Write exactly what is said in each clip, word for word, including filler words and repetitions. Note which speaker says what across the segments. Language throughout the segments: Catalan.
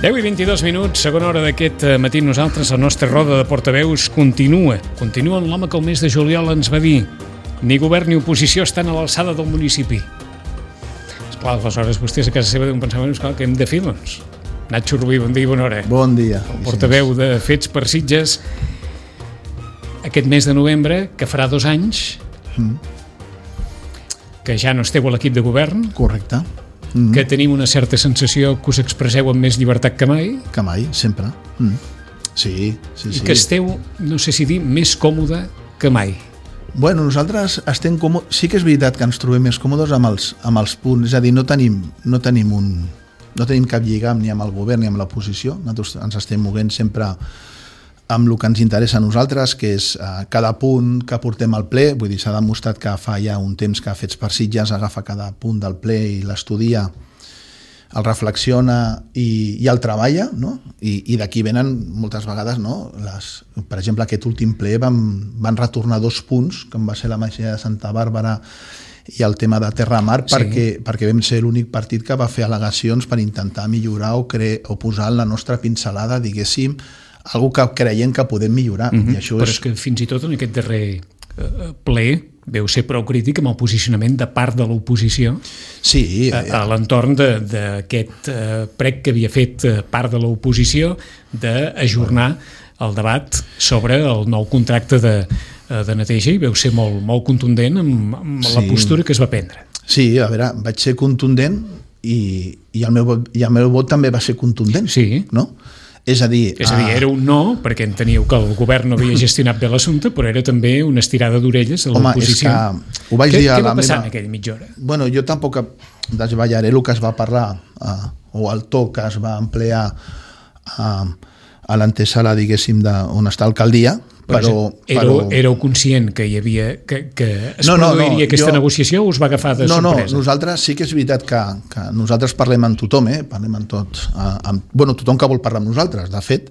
Speaker 1: deu i vint-i-dos minuts, segona hora d'aquest matí. Nosaltres, la nostra roda de portaveus continua. Continua amb l'home que el mes de juliol ens va dir: ni govern ni oposició estan a l'alçada del municipi. Esclar, aleshores vostès a casa seva deuen pensar, bueno, esclar, què hem de fer, doncs? Nacho Rubí, bon dia i bona hora.
Speaker 2: Bon dia.
Speaker 1: El portaveu de Fets per Sitges. Aquest mes de novembre, que farà dos anys, mm. que ja no esteu a l'equip de govern.
Speaker 2: Correcte.
Speaker 1: Mm. Que tenim una certa sensació que us expresseu amb més llibertat que mai.
Speaker 2: Que mai, sempre. Mm. Sí, sí,
Speaker 1: I
Speaker 2: sí.
Speaker 1: que esteu, no sé si dir, més còmode que mai.
Speaker 2: Bueno, nosaltres estem còmodes. Sí que és veritat que ens trobem més còmodes amb els, amb els punts. És a dir, no tenim, no tenim un... no tenim cap lligam ni amb el govern ni amb l'oposició. Nosaltres ens estem moguent sempre amb el que ens interessa a nosaltres, que és eh, cada punt que portem al ple. Vull dir, s'ha demostrat que fa ja un temps que Fets per Sitges agafa cada punt del ple i l'estudia, el reflexiona i, i el treballa, no? I, i d'aquí venen moltes vegades, no? Les, per exemple, aquest últim ple van, van retornar dos punts, com va ser la masia de Santa Bàrbara i el tema de Terramar, sí. perquè, perquè vam ser l'únic partit que va fer al·legacions per intentar millorar o, cre o posar en la nostra pincelada, diguéssim, algo que creiem que podem millorar.
Speaker 1: Mm-hmm.
Speaker 2: I això
Speaker 1: Però
Speaker 2: és...
Speaker 1: és que fins i tot en aquest darrer eh, ple veu ser prou crític amb el posicionament de part de l'oposició,
Speaker 2: sí,
Speaker 1: a, a l'entorn d'aquest eh, prec que havia fet part de l'oposició d'ajornar el debat sobre el nou contracte de, de neteja, i veu ser molt, molt contundent amb, amb sí. la postura que es va prendre.
Speaker 2: Sí, a veure, vaig ser contundent i, i, el meu, i el meu vot també va ser contundent,
Speaker 1: sí.
Speaker 2: no? És a dir...
Speaker 1: És a dir, era un no, perquè enteníeu que el govern no havia gestionat bé l'assumpte, però era també una estirada d'orelles a l'oposició.
Speaker 2: Home, és que ho vaig
Speaker 1: què,
Speaker 2: dir a
Speaker 1: què va
Speaker 2: la
Speaker 1: passar
Speaker 2: meva...
Speaker 1: en aquella mitja hora?
Speaker 2: Bueno, jo tampoc desballaré el que es va parlar, eh, o el to que es va emplear eh, a l'antesala, diguéssim, de, on està l'alcaldia, però...
Speaker 1: Éreu,
Speaker 2: però...
Speaker 1: éreu conscient que hi havia que, que es
Speaker 2: no, no,
Speaker 1: produiria
Speaker 2: no,
Speaker 1: aquesta
Speaker 2: jo...
Speaker 1: negociació o us va agafar de
Speaker 2: no,
Speaker 1: sorpresa?
Speaker 2: No, nosaltres sí que és veritat que, que nosaltres parlem amb tothom, eh? Parlem amb tot, eh, amb, bueno, tothom que vol parlar amb nosaltres, de fet,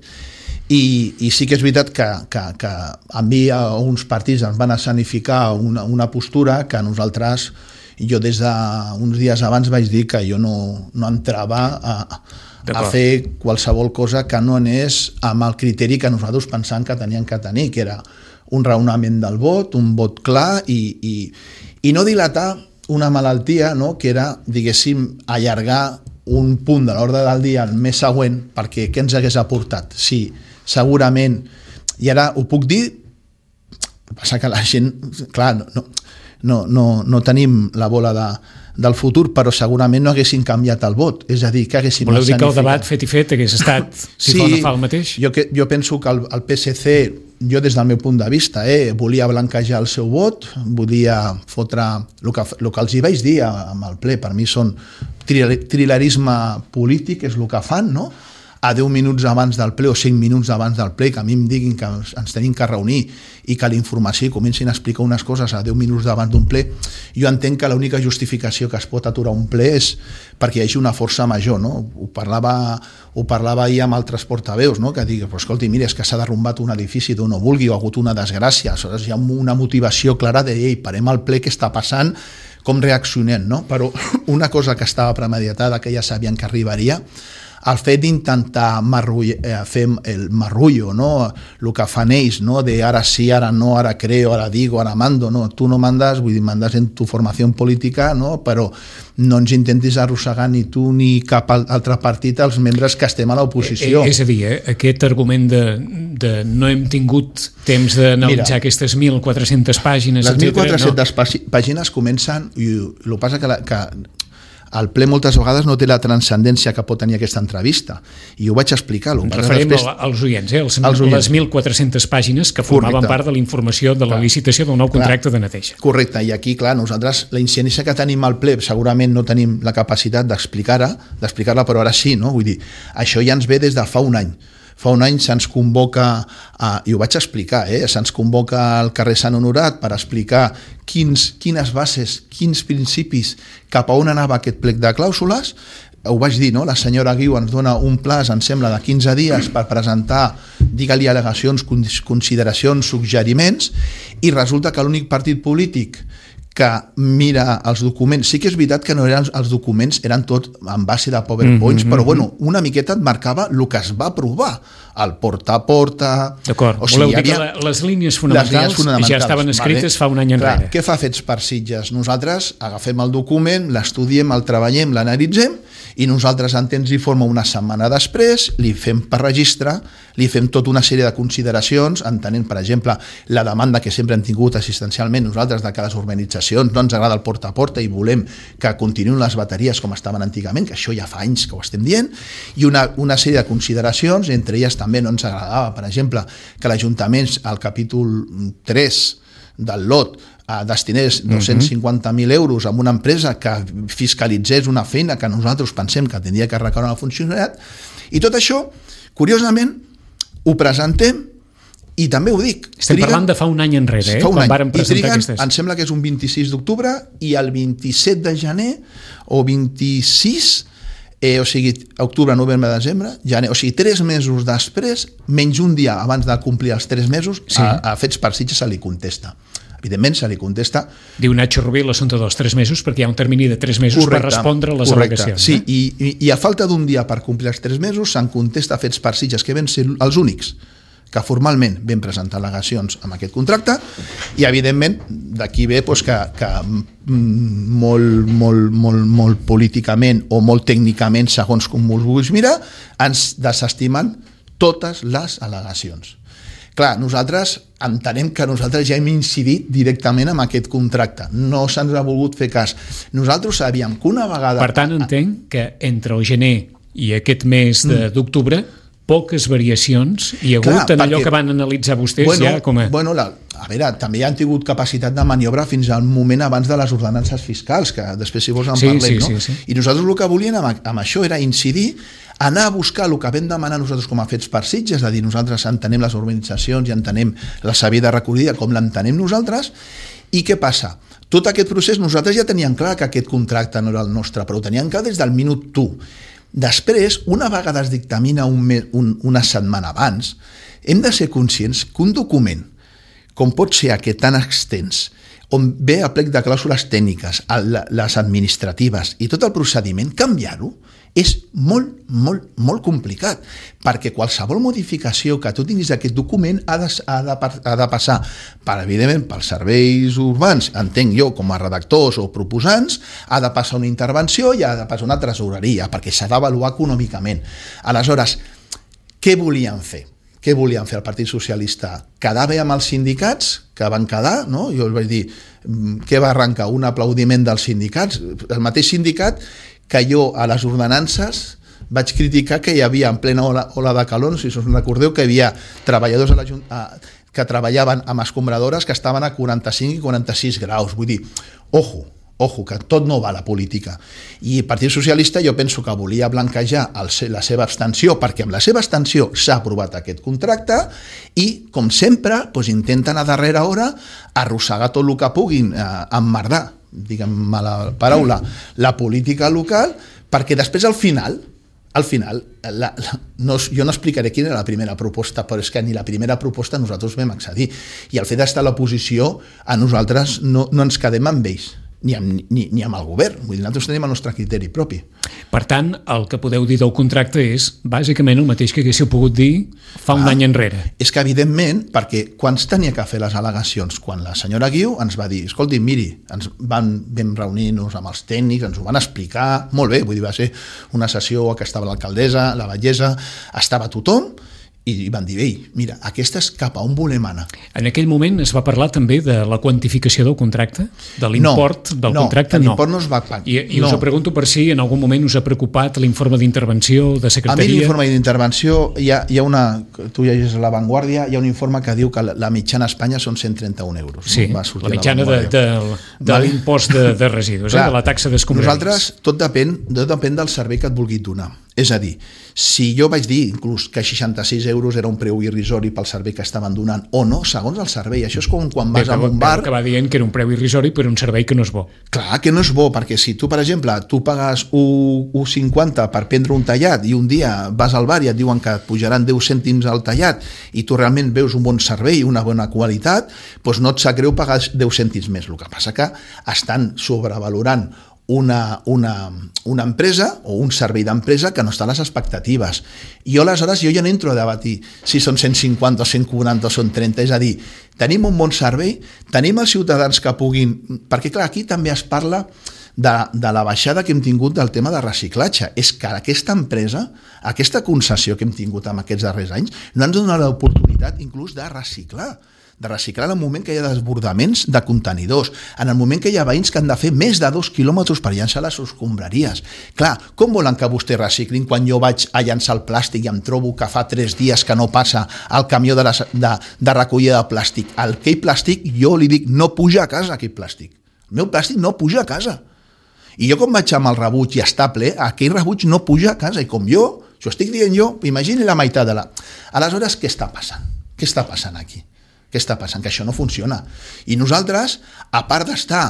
Speaker 2: i, i sí que és veritat que, que, que a mi a uns partits ens van escenificar una, una postura que nosaltres, jo des d'uns dies abans vaig dir que jo no, no entrava a, a fer qualsevol cosa que no anés amb el criteri que nosaltres pensàvem que tenien que tenir, que era un raonament del vot, un vot clar i, i, i no dilatar una malaltia, no? Que era, diguéssim, allargar un punt de l'ordre del dia al mes següent, perquè què ens hagués aportat? Sí, segurament, i ara ho puc dir, passa que la gent, clar, no, no, no, no tenim la bola de, del futur, però segurament no haguessin canviat el vot, és a dir, que haguessin...
Speaker 1: Voleu dir que el debat fet i fet hagués estat, si
Speaker 2: sí,
Speaker 1: fa o no fa el mateix?
Speaker 2: Jo, que, jo penso que el, el P S C, jo des del meu punt de vista, eh, volia blanquejar el seu vot, volia fotre... El que, el que els hi vaig dir amb el ple, per mi són trilerisme polític, és el que fan, no?, a deu minuts abans del ple o cinc minuts abans del ple, que a mi em diguin que ens tenim que reunir i que la informació comencin a explicar unes coses a deu minuts abans d'un ple, jo entenc que l'única justificació que es pot aturar un ple és perquè hi hagi una força major, no? Ho parlava, ho parlava ahir amb altres portaveus, no? Que digui, però escolti, mira, és que s'ha derrumbat un edifici d'on no vulgui, o ha hagut una desgràcia, aleshores hi ha una motivació clara de, ei, parem el ple, què està passant, com reaccionem, no? Però una cosa que estava premeditada, que ja sabien que arribaria, el fet d'intentar eh, fer el marrullo, no? El que fan ells, no? De ara sí, ara no, ara creo, ara digo, ara mando, no? Tu no mandes, vull dir, mandes en tu formació política, no? Però no ens intentis arrossegar ni tu ni cap altre partit els membres que estem a l'oposició.
Speaker 1: Eh, és a dir, eh, aquest argument de, de no hem tingut temps d'analitzar aquestes mil quatre-centes pàgines...
Speaker 2: Les mil quatre-centes no. pàgines comencen, i el que passa que... La, que el ple moltes vegades no té la transcendència que pot tenir aquesta entrevista, i ho vaig explicar.
Speaker 1: Ens referim després... als oients, eh? els, els oients. Les mil quatre-centes pàgines que formaven Correcte. Part de la informació de la clar. Licitació del nou contracte clar. De neteja.
Speaker 2: Correcte, i aquí, clar, nosaltres la incidència que tenim al ple segurament no tenim la capacitat d'explicar-la, d'explicar-la, però ara sí, no? Vull dir, això ja ens ve des de fa un any. Fa un any se'ns convoca, a, i ho vaig explicar, eh? se'ns convoca al carrer Sant Honorat per explicar quins, quines bases, quins principis, cap a on anava aquest plec de clàusules. Ho vaig dir, no? La senyora Guiu ens dona un plaç, em sembla, de quinze dies per presentar, digue-li al·legacions, consideracions, suggeriments, i resulta que l'únic partit polític que mira els documents. Sí que és veritat que no eren els documents, eren tot en base de PowerPoints, mm-hmm. però bueno, una miqueta et marcava el que es va aprovar, el porta a porta...
Speaker 1: D'acord, o sigui, voleu dir que havia... les línies fonamentals, les línies fonamentals ja estaven escrites vale. Fa un any enrere.
Speaker 2: Clar, què fa Fets per Sitges? Nosaltres agafem el document, l'estudiem, el treballem, l'analitzem, i nosaltres en temps i forma una setmana després, li fem per registre, li fem tota una sèrie de consideracions, entenent, per exemple, la demanda que sempre hem tingut assistencialment nosaltres de que les urbanitzacions no ens agrada el porta a porta i volem que continuïn les bateries com estaven antigament, que això ja fa anys que ho estem dient, i una, una sèrie de consideracions, entre elles també no ens agradava, per exemple, que l'Ajuntament, al capítol tres del lot, destinés dos-cents cinquanta mil euros a una empresa que fiscalitzés una feina que nosaltres pensem que tindria que recaure en el funcionariat, i tot això, curiosament, ho presentem i també ho dic.
Speaker 1: Estem triguen, parlant de fa un any enrere, eh?
Speaker 2: Quan
Speaker 1: any. Vàrem presentar
Speaker 2: triguen,
Speaker 1: aquestes.
Speaker 2: Em sembla que és un vint-i-sis d'octubre i el vint-i-set de gener o vint-i-sis, eh, o sigui, octubre, novembre, desembre, gener, o sigui, tres mesos després, menys un dia abans de complir els tres mesos, sí. a, a Fets per Sitges se li contesta. Evidentment, se li contesta...
Speaker 1: Diu Nacho Rubí l'assumpte dels tres mesos perquè hi ha un termini de tres mesos correcte, per respondre a les
Speaker 2: correcte.
Speaker 1: al·legacions.
Speaker 2: Sí, eh? i, i a falta d'un dia per complir els tres mesos se'n contesta a Fets per Sitges, que vam ser els únics que formalment vam presentar al·legacions amb aquest contracte, i evidentment d'aquí ve doncs, que, que molt, molt, molt, molt políticament o molt tècnicament, segons com ho vulguis mirar, ens desestimen totes les al·legacions. Clar, nosaltres entenem que nosaltres ja hem incidit directament amb aquest contracte. No se'ns ha volgut fer cas. Nosaltres sabíem que una vegada...
Speaker 1: Per tant, entenc que entre el gener i aquest mes d'octubre poques variacions hi ha hagut Clar, en allò perquè, que van analitzar vostès
Speaker 2: bueno,
Speaker 1: ja com a...
Speaker 2: Bueno, la, a veure, també han tingut capacitat de maniobra fins al moment abans de les ordenances fiscals, que després si vols en
Speaker 1: sí,
Speaker 2: parlem,
Speaker 1: sí,
Speaker 2: no?
Speaker 1: Sí, sí.
Speaker 2: I nosaltres el que volíem amb, amb això era incidir, anar a buscar el que vam demanar nosaltres com a Fets per Sitges, és a dir, nosaltres entenem les urbanitzacions i entenem la sabida recollida com l'entenem nosaltres, i què passa? Tot aquest procés nosaltres ja teníem clar que aquest contracte no era el nostre, però ho teníem clar des del minut u. Després, una vegada es dictamina un, un, una setmana abans, hem de ser conscients que un document, com pot ser aquest tan extens, on ve a plec de clàusules tècniques, les administratives i tot el procediment, canviar-ho és molt, molt, molt complicat, perquè qualsevol modificació que tu tinguis d'aquest document ha de, ha, de, ha de passar, per, evidentment, pels serveis urbans, entenc jo, com a redactors o proposants, ha de passar una intervenció i ha de passar una tresoreria, perquè s'ha d'avaluar econòmicament. Aleshores, què volien fer? Què volien fer el Partit Socialista? Quedar bé amb els sindicats, que van quedar, no? Jo els vaig dir, què va arrencar? Un aplaudiment dels sindicats? El mateix sindicat que jo a les ordenances vaig criticar que hi havia en plena ola, ola de calor, si us recordeu, que hi havia treballadors a la, a, que treballaven amb escombradores que estaven a quaranta-cinc i quaranta-sis graus. Vull dir, ojo, ojo, que tot no va a la política. I el Partit Socialista jo penso que volia blanquejar el, la seva abstenció, perquè amb la seva abstenció s'ha aprovat aquest contracte i, com sempre, doncs intenten a darrera hora arrossegar tot el que puguin, eh, emmerdar, diguem la paraula, la política local, perquè després al final, al final, la, la, no, jo no explicaré quina era la primera proposta, però és que ni la primera proposta nosaltres vam accedir. I el fet d'estar a l'oposició, a nosaltres no, no ens quedem amb ells, ni amb, ni, ni amb el govern. Vull dir, nosaltres tenim el nostre criteri propi.
Speaker 1: Per tant, el que podeu dir del contracte és bàsicament el mateix que haguéssiu pogut dir fa un ah, any enrere.
Speaker 2: És que, evidentment, perquè quan es tenia que fer les al·legacions, quan la senyora Guiu ens va dir, escolti, miri, ens van, vam reunir-nos amb els tècnics, ens ho van explicar, molt bé, vull dir, va ser una sessió que estava l'alcaldessa, la batllessa, estava tothom, i van dir, ei, mira, aquesta és cap a on volem anar.
Speaker 1: En aquell moment es va parlar també de la quantificació del contracte? De l'import no, del
Speaker 2: no,
Speaker 1: contracte?
Speaker 2: No, l'import no es va pagar.
Speaker 1: I, i no. us pregunto per si en algun moment us ha preocupat l'informe d'intervenció de secretaria?
Speaker 2: A mi l'informe d'intervenció, hi ha, hi ha una, tu llegis a La Vanguardia, hi ha un informe que diu que la, la mitjana a Espanya són cent trenta-un euros.
Speaker 1: Sí,
Speaker 2: no?
Speaker 1: la mitjana la de, de, de l'impost de, de residus, Clar, eh, de la taxa d'escombraries.
Speaker 2: Nosaltres, tot depèn, tot depèn del servei que et vulguis donar. És a dir, si jo vaig dir inclús que seixanta-sis euros era un preu irrisori pel servei que estaven donant, o no, segons el servei. Això és com quan vas a un bar...
Speaker 1: Que va dient que era un preu irrisori per un servei que no és bo.
Speaker 2: Clar que no és bo, perquè si tu, per exemple, tu pagues un coma cinquanta per prendre un tallat i un dia vas al bar i et diuen que et pujaran deu cèntims al tallat i tu realment veus un bon servei i una bona qualitat, doncs no et sap greu pagar deu cèntims més. El que passa que estan sobrevalorant Una, una, una empresa o un servei d'empresa que no està a les expectatives. I jo aleshores jo ja no entro a debatir si són cent cinquanta o cent quaranta o són trenta, és a dir, tenim un bon servei, tenim els ciutadans que puguin... Perquè clar, aquí també es parla de, de la baixada que hem tingut del tema de reciclatge. És que aquesta empresa, aquesta concessió que hem tingut en aquests darrers anys, no ens dona l'oportunitat inclús de reciclar. de reciclar en el moment que hi ha desbordaments de contenidors, en el moment que hi ha veïns que han de fer més de dos quilòmetres per llançar les escombraries. Clar, com volen que vostè reciclin quan jo vaig a llançar el plàstic i em trobo que fa tres dies que no passa el camió de, la, de, de recollida de plàstic? Aquell plàstic, jo li dic, no puja a casa aquell plàstic. El meu plàstic no puja a casa. I jo com vaig amb el rebuig i està ple, aquell rebuig no puja a casa. I com jo, això estic dient jo, imagini la meitat de la... Aleshores, què està passant? Què està passant aquí? Què està passant? Que això no funciona. I nosaltres, a part d'estar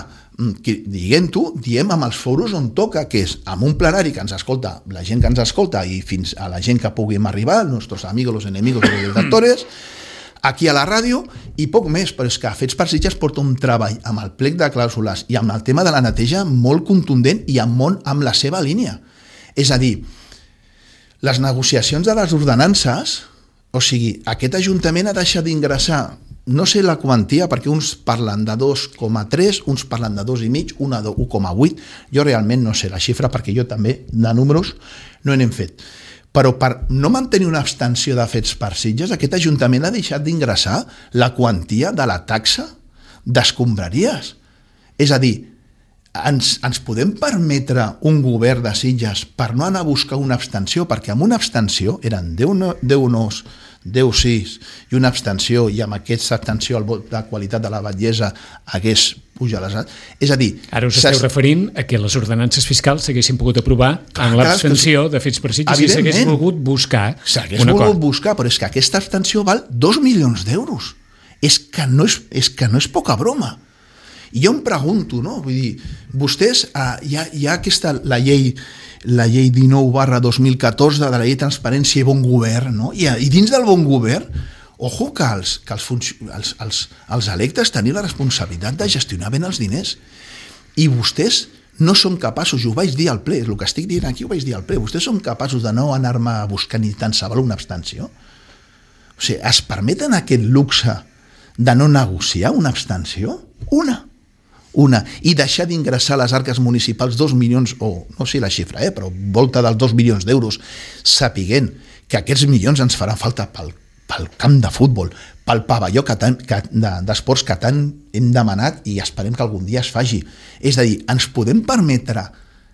Speaker 2: dient-ho, diem amb els foros on toca, que és amb un plenari que ens escolta, la gent que ens escolta i fins a la gent que puguem arribar, els nostres amigos, los enemigos de los lectores, aquí a la ràdio, i poc més, però és que Fets per Sitges porta un treball amb el plec de clàusules i amb el tema de la neteja molt contundent i amb, molt, amb la seva línia. És a dir, les negociacions de les ordenances, o sigui, aquest Ajuntament ha deixat d'ingressar, no sé la quantia, perquè uns parlen de dos coma tres, uns parlen de dos i mig, una de un coma vuit, jo realment no sé la xifra, perquè jo també de números no n'hem fet. Però per no mantenir una abstenció de Fets per Sitges, aquest Ajuntament ha deixat d'ingressar la quantia de la taxa d'escombraries. És a dir, ens, ens podem permetre un govern de Sitges per no anar a buscar una abstenció, perquè amb una abstenció eren deu nos, deu sis i una abstenció, i amb aquesta abstenció el vot de qualitat de la batllessa hagués pujat les... És a dir...
Speaker 1: Ara us esteu referint a que les ordenances fiscals s'haguessin pogut aprovar en l'abstenció de Fets per Sitges i s'hagués volgut buscar
Speaker 2: s'hagués volgut buscar, però és que aquesta abstenció val dos milions d'euros. És que no és, és que no és poca broma. I jo em pregunto, no? Vull dir, vostès, eh, hi, ha, hi ha aquesta, la llei, la llei dinou barra dos mil catorze de la llei de transparència i bon govern, no? I, i dins del bon govern, ojo que els, que els, els, els, els electes tenien la responsabilitat de gestionar ben els diners. I vostès no són capaços, i ho vaig dir al ple, el que estic dient aquí ho vaig dir al ple, vostès són capaços de no anar-me a buscar ni tan saber una abstenció? O sigui, es permeten aquest luxe de no negociar una abstenció? Una. Una, i deixar d'ingressar a les arques municipals dos milions, o no sé la xifra, eh, però volta dels dos milions d'euros, sapiguent que aquests milions ens faran falta pel, pel camp de futbol, pel pavelló que tan, que, de, d'esports que tant hem demanat i esperem que algun dia es faci. És a dir, ens podem permetre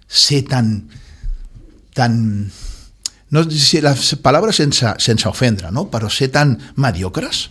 Speaker 2: ser tan... tan no sé si la paraula sense, sense ofendre, no? Però ser tan mediocres?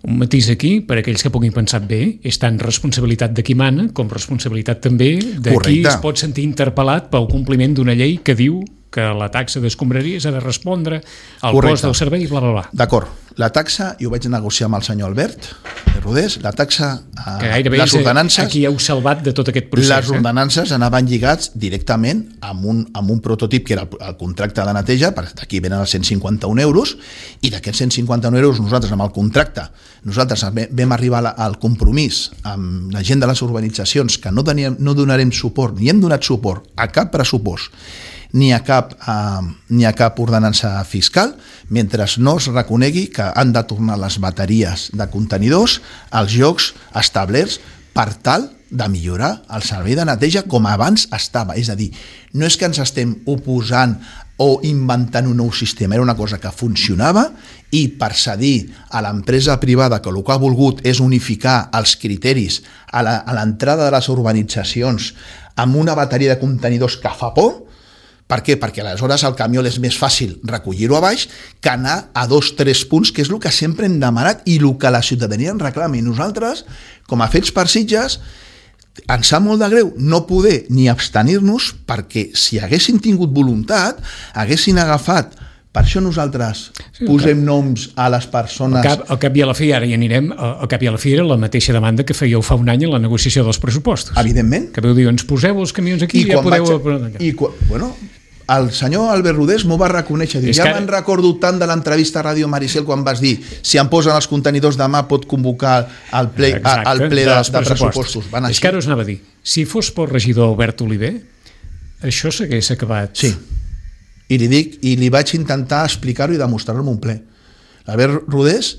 Speaker 1: Un matís aquí, per aquells que puguin pensar bé, és tant responsabilitat de qui mana com responsabilitat també de qui es pot sentir interpel·lat pel compliment d'una llei que diu que la taxa d'escombraries ha de respondre al Correcte. Cost del servei i bla, bla, bla.
Speaker 2: D'acord. La taxa, jo vaig negociar amb el senyor Albert de Rodés, la taxa,
Speaker 1: que gairebé les ordenances... Aquí heu salvat de tot aquest procés.
Speaker 2: Les ordenances eh? anaven lligats directament amb un, amb un prototip que era el, el contracte de neteja, d'aquí venen els cent cinquanta-un euros, i d'aquests cent cinquanta-un euros nosaltres amb el contracte, nosaltres vam arribar al compromís amb la gent de les urbanitzacions que no, teníem, no donarem suport, ni hem donat suport a cap pressupost, ni a cap, eh, ni a cap ordenança fiscal, mentre no es reconegui que han de tornar les bateries de contenidors als llocs establerts per tal de millorar el servei de neteja com abans estava. És a dir, no és que ens estem oposant o inventant un nou sistema, era una cosa que funcionava i per cedir a l'empresa privada que el que ha volgut és unificar els criteris a l'entrada de les urbanitzacions amb una bateria de contenidors que fa por. Per què? Perquè aleshores el camió és més fàcil recollir-ho a baix que anar a dos o tres punts, que és el que sempre hem demanat i el que la ciutadania en reclama. I nosaltres, com a Fets per Sitges, ens sap molt de greu no poder ni abstenir-nos, perquè si haguessin tingut voluntat, haguessin agafat. Per això nosaltres sí, posem cap, noms a les persones...
Speaker 1: Al cap, al cap i a la fi, ara hi anirem, al cap i a la fi era la mateixa demanda que fèieu fa un any en la negociació dels pressupostos.
Speaker 2: Evidentment.
Speaker 1: Que veu dir, ens poseu els camions aquí i ja podeu...
Speaker 2: Vaig, i quan, bueno, el senyor Albert Rodés m'ho va reconèixer. Diu, ja que... me'n recordo tant de l'entrevista a Ràdio Maricel quan vas dir si em posen els contenidors demà pot convocar el ple, Exacte, el ple de, de, de pressupostos. Van
Speaker 1: És que ara us anava a dir, si fos pel regidor Albert Oliver, això s'hagués acabat...
Speaker 2: Sí. I li dic, i li vaig intentar explicar-ho i demostrar-ho en un ple. L'Albert Rodés...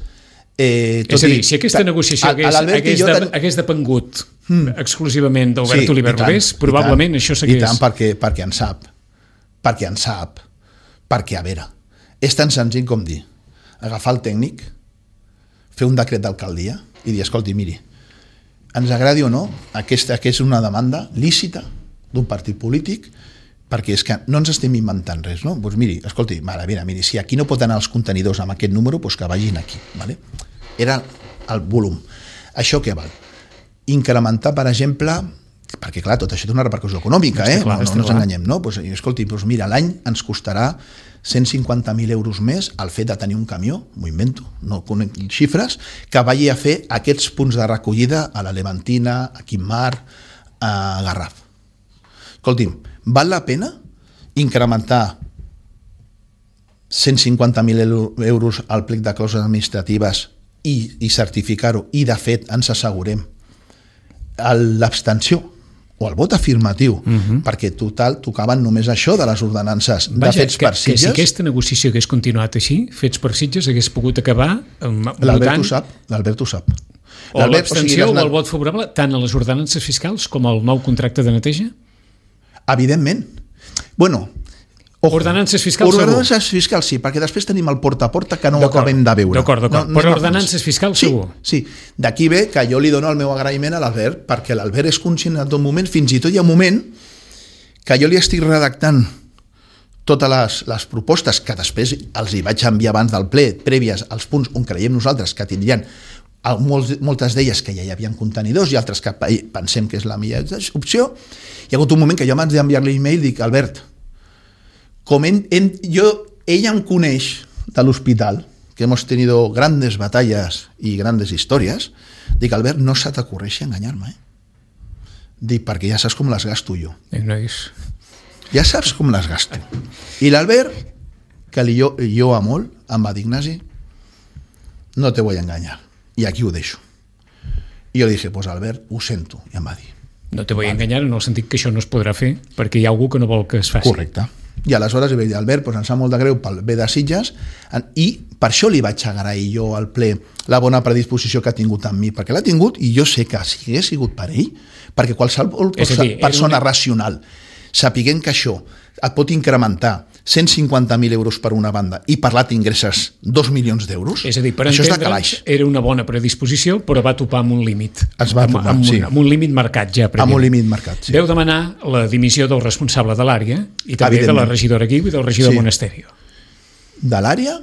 Speaker 2: Eh,
Speaker 1: és a dir, si aquesta negociació hagués, hagués, de, ten... hagués depengut mm. exclusivament d'Albert sí, Oliver Rodés, probablement tant, això s'hagués...
Speaker 2: I tant, perquè, perquè en sap. Perquè en sap. Perquè, a veure, és tan senzill com dir, agafar el tècnic, fer un decret d'alcaldia i dir, escolti, miri, ens agradi o no, aquesta, aquesta és una demanda lícita d'un partit polític, perquè és que no ens estem inventant res, no? Doncs miri, escolti, mare, mira, miri, si aquí no pot anar els contenidors amb aquest número, doncs que vagin aquí, ¿vale? Era el volum. Això què val? Incrementar, per exemple, perquè clar, tot això té una repercussió econòmica, eh? Clar, no, no, no ens enganyem, no? Doncs, escolti, doncs mira, l'any ens costarà cent cinquanta mil euros més el fet de tenir un camió, m'ho invento, no conec xifres, que vagi a fer aquests punts de recollida a la Levantina, a Quimar, a Garraf. Escolti'm, val la pena incrementar cent cinquanta mil euros al plec de clàusules administratives i, i certificar-ho, i de fet ens assegurem l'abstenció o el vot afirmatiu, uh-huh. perquè total tocaven només això de les ordenances de
Speaker 1: Vaja,
Speaker 2: fets
Speaker 1: que,
Speaker 2: per Sitges.
Speaker 1: Que si aquesta negociació hagués continuat així, fets per Sitges hagués pogut acabar votant...
Speaker 2: L'Albert ho sap, l'Albert ho sap.
Speaker 1: O l'abstenció o, sigui, o el vot favorable tant a les ordenances fiscals com al nou contracte de neteja?
Speaker 2: Evidentment. Bueno, ojo,
Speaker 1: ordenances fiscals
Speaker 2: ordenances
Speaker 1: segur.
Speaker 2: fiscals sí, perquè després tenim el porta a porta que no ho acabem de veure.
Speaker 1: D'acord, d'acord. No, però ordenances fiscals
Speaker 2: sí,
Speaker 1: segur.
Speaker 2: Sí, d'aquí ve que jo li dono el meu agraïment a l'Albert, perquè l'Albert és conscient en tot moment, fins i tot hi ha un moment que jo li estic redactant totes les, les propostes que després els hi vaig enviar abans del ple, prèvies als punts on creiem nosaltres que tindrien molts, moltes d'elles que ja hi havia contenidors i altres que pensem que és la millor opció. Hi ha hagut un moment que jo abans d'enviar-li l'email dic, Albert, com en, en, jo, ella em coneix de l'hospital, que hemos tenido grandes batallas y grandes historias, dic, Albert, no se t'ocorreixi enganyar-me, eh? Dic, perquè ja saps com les gasto jo. Ja saps com les gasto. I l'Albert, que li jo, jo a molt, em va dir, Ignasi, no te voy a engañar. I aquí ho deixo. I jo li dije, pues Albert, ho sento, i em va dir.
Speaker 1: No te voy a enganyar en el sentit que això no es podrà fer perquè hi ha algú que no vol que es faci.
Speaker 2: Correcte. I aleshores li vaig dir, Albert, pues em sap molt de greu pel bé de Sitges, i per això li vaig agrair jo al ple la bona predisposició que ha tingut amb mi, perquè l'ha tingut i jo sé que si hagués sigut per ell, perquè qualsevol dir, persona una... racional sapiguent que això et pot incrementar cent cinquanta mil euros per una banda i per l'altre ingresses dos milions d'euros,
Speaker 1: és a dir, per
Speaker 2: això és de
Speaker 1: calaix. Era una bona predisposició, però va topar amb un límit.
Speaker 2: Es va topar,
Speaker 1: amb, amb,
Speaker 2: sí.
Speaker 1: Un, amb un límit marcat ja.
Speaker 2: Amb un límit marcat, sí.
Speaker 1: Veu demanar la dimissió del responsable de l'àrea i també de la regidora Guiu i del regidor sí. Monasterio. De
Speaker 2: l'àrea?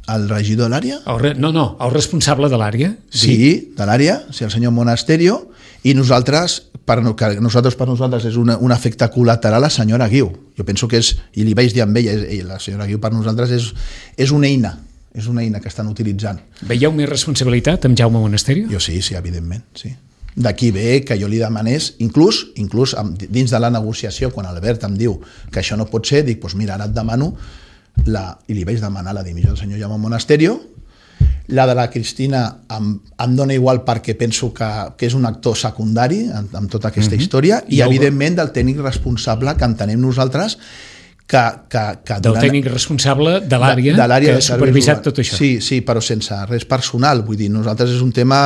Speaker 2: El regidor de l'àrea?
Speaker 1: Re... No, no, el responsable de l'àrea.
Speaker 2: Sí, dic. De l'àrea, sí, el senyor Monasterio, i nosaltres, per, que nosaltres per nosaltres és una, un efecte col·lateral, la senyora Guiu. Jo penso que és, i li vaig dir amb ella, la senyora Guiu per nosaltres és, és una eina, és una eina que estan utilitzant.
Speaker 1: Veieu més responsabilitat amb Jaume Monasterio?
Speaker 2: Jo sí, sí, evidentment, sí. D'aquí ve que jo li demanés, inclús, inclús dins de la negociació, quan Albert em diu que això no pot ser, dic, doncs mira, ara et demano, la, i li vaig demanar la dimissió del senyor Jaume Monasterio. La de la Cristina em, em dona igual perquè penso que, que és un actor secundari en, en tota aquesta uh-huh. història i, I evidentment del tècnic responsable que entenem nosaltres que... que, que
Speaker 1: del tècnic responsable de l'àrea que ha supervisat tot això.
Speaker 2: Sí, sí, però sense res personal. Vull dir, nosaltres és un tema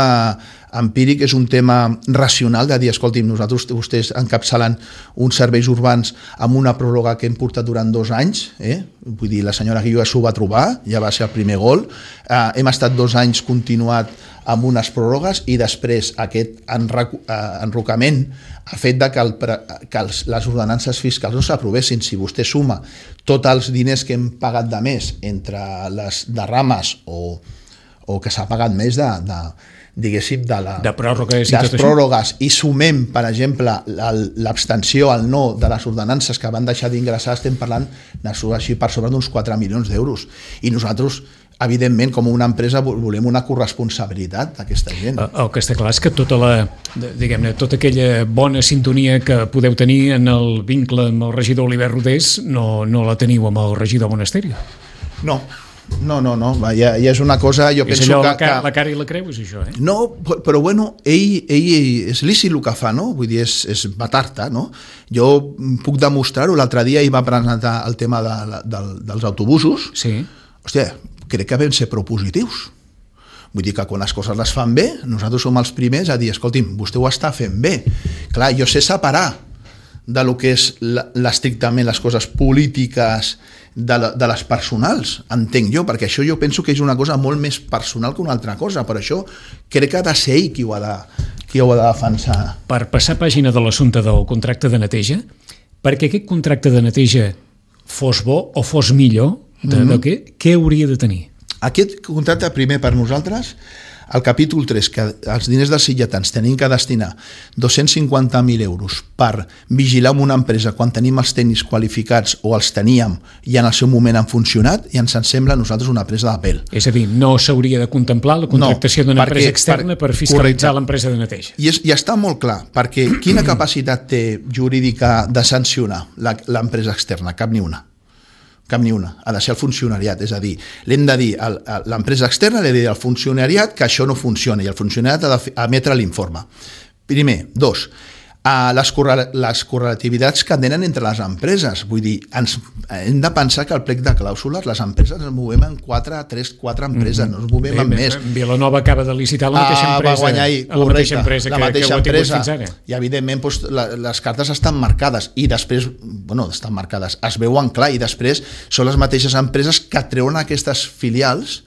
Speaker 2: empíric, és un tema racional de dir, escolti'm, nosaltres vostès encapçalen uns serveis urbans amb una pròrroga que hem portat durant dos anys, eh? Vull dir, la senyora Guiu s'ho va trobar, ja va ser el primer gol, eh, hem estat dos anys continuat amb unes pròrrogues i després aquest enrocament ha fet de que, el, que els, les ordenances fiscals no s'aprovessin. Si vostè suma tots els diners que hem pagat de més entre les derrames o, o que s'ha pagat més de, de, diguéssim, de, la,
Speaker 1: de pròrrogues i
Speaker 2: les
Speaker 1: tot
Speaker 2: pròrrogues i sumem, per exemple, l'abstenció al no de les ordenances que van deixar d'ingressar, estem parlant així per sobre d'uns quatre milions d'euros. I nosaltres, evidentment, com una empresa, volem una corresponsabilitat d'aquesta gent.
Speaker 1: El que està clar és que tota la, diguem-ne, tota aquella bona sintonia que podeu tenir en el vincle amb el regidor Oliver Rodés no, no la teniu amb el regidor Monasterio.
Speaker 2: No, no, no, no. Ja, ja és una cosa, jo
Speaker 1: és
Speaker 2: penso
Speaker 1: allò,
Speaker 2: que...
Speaker 1: la cara, la cara i la creu, és això, eh?
Speaker 2: No, però bueno, ell, ell és lícit el que fa, no? Vull dir, és, és batar-te, no? Jo puc demostrar-ho, l'altre dia ell va presentar el tema de, de, dels autobusos.
Speaker 1: Sí.
Speaker 2: Hòstia, crec que vam ser propositius. Vull dir que quan les coses les fan bé, nosaltres som els primers a dir, escolti'm, vostè ho està fent bé. Clar, jo sé separar de lo que és l'estrictament les coses polítiques de, la, de les personals, entenc jo, perquè això jo penso que és una cosa molt més personal que una altra cosa, per això crec que ha de ser ell qui ho ha de, qui ho ha de defensar. Per
Speaker 1: passar pàgina de l'assumpte del contracte de neteja, perquè aquest contracte de neteja fos bo o fos millor, de, mm-hmm. de què, què hauria de tenir?
Speaker 2: Aquest contracte, primer per nosaltres, al capítol tres, que els diners dels sitgetans tenim que destinar dos-cents cinquanta mil euros per vigilar una empresa quan tenim els tècnics qualificats o els teníem i en el seu moment han funcionat, i ens sembla a nosaltres una presa de pèl.
Speaker 1: És a dir, no s'hauria de contemplar la contractació no, d'una empresa externa per, per fiscalitzar l'empresa de neteja.
Speaker 2: I, és, I està molt clar, perquè quina capacitat té jurídica de sancionar l'empresa externa? Cap ni una. Cap ni una, ha de ser el funcionariat, és a dir, l'hem de dir a l'empresa externa, l'he de dir al funcionariat que això no funciona i el funcionariat ha d'emetre l'informe. Primer. Dos, a les, les correlativitats que tenen entre les empreses, vull dir, ens, hem de pensar que al plec de clàusules les empreses ens movem en quatre, tres, quatre empreses, no ens movem en més.
Speaker 1: Vilanova acaba de licitar la mateixa empresa,
Speaker 2: va guanyar ahir,
Speaker 1: la mateixa empresa,
Speaker 2: la
Speaker 1: que,
Speaker 2: mateixa
Speaker 1: que ho ha tingut
Speaker 2: empresa,
Speaker 1: fins ara.
Speaker 2: I evidentment doncs, la, les cartes estan marcades i després, bueno, estan marcades, es veuen clar, i després són les mateixes empreses que treuen aquestes filials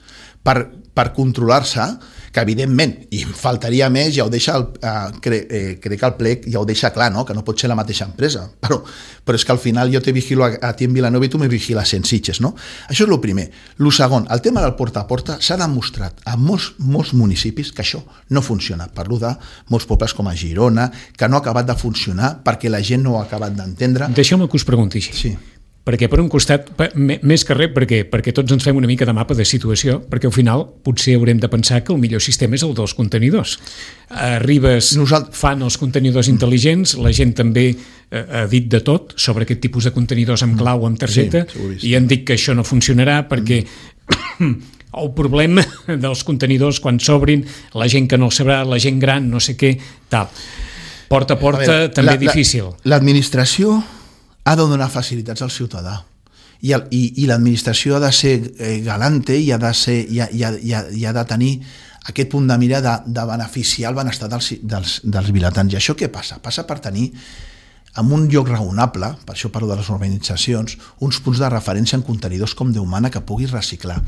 Speaker 2: per, per controlar-se, que evidentment, i faltaria més, ja ho deixa el, eh, cre, eh, crec que el plec ja ho deixa clar, no? Que no pot ser la mateixa empresa, però, però és que al final jo te vigilo a, a ti en Vilanova i tu me vigiles en Sitges, no? Això és el primer. El segon, el tema del porta a porta s'ha demostrat a molts, molts municipis que això no funciona. Parlo de molts pobles com a Girona, que no ha acabat de funcionar perquè la gent no ho ha acabat d'entendre.
Speaker 1: Deixeu-me que us pregunti així.
Speaker 2: Sí.
Speaker 1: Perquè per un costat, més que res, perquè, perquè tots ens fem una mica de mapa de situació, perquè al final potser haurem de pensar que el millor sistema és el dels contenidors. Arribes, Nosalt... fan els contenidors intel·ligents, la gent també eh, ha dit de tot sobre aquest tipus de contenidors amb clau o amb targeta, sí, i han dit que això no funcionarà perquè mm. el problema dels contenidors quan s'obrin, la gent que no el sabrà, la gent gran, no sé què, tal. Porta a porta, a veure, també la, difícil.
Speaker 2: L'administració ha de donar facilitats al ciutadà i, el, i, i l'administració ha de ser eh, galante i ha de, ser, i ha, i ha, i ha, i ha de tenir aquest punt de mira de, de beneficiar el benestar dels, dels, dels vilatans. I això què passa? Passa per tenir en un lloc raonable, per això parlo de les urbanitzacions, uns punts de referència en contenidors com Déu mana que puguis reciclar.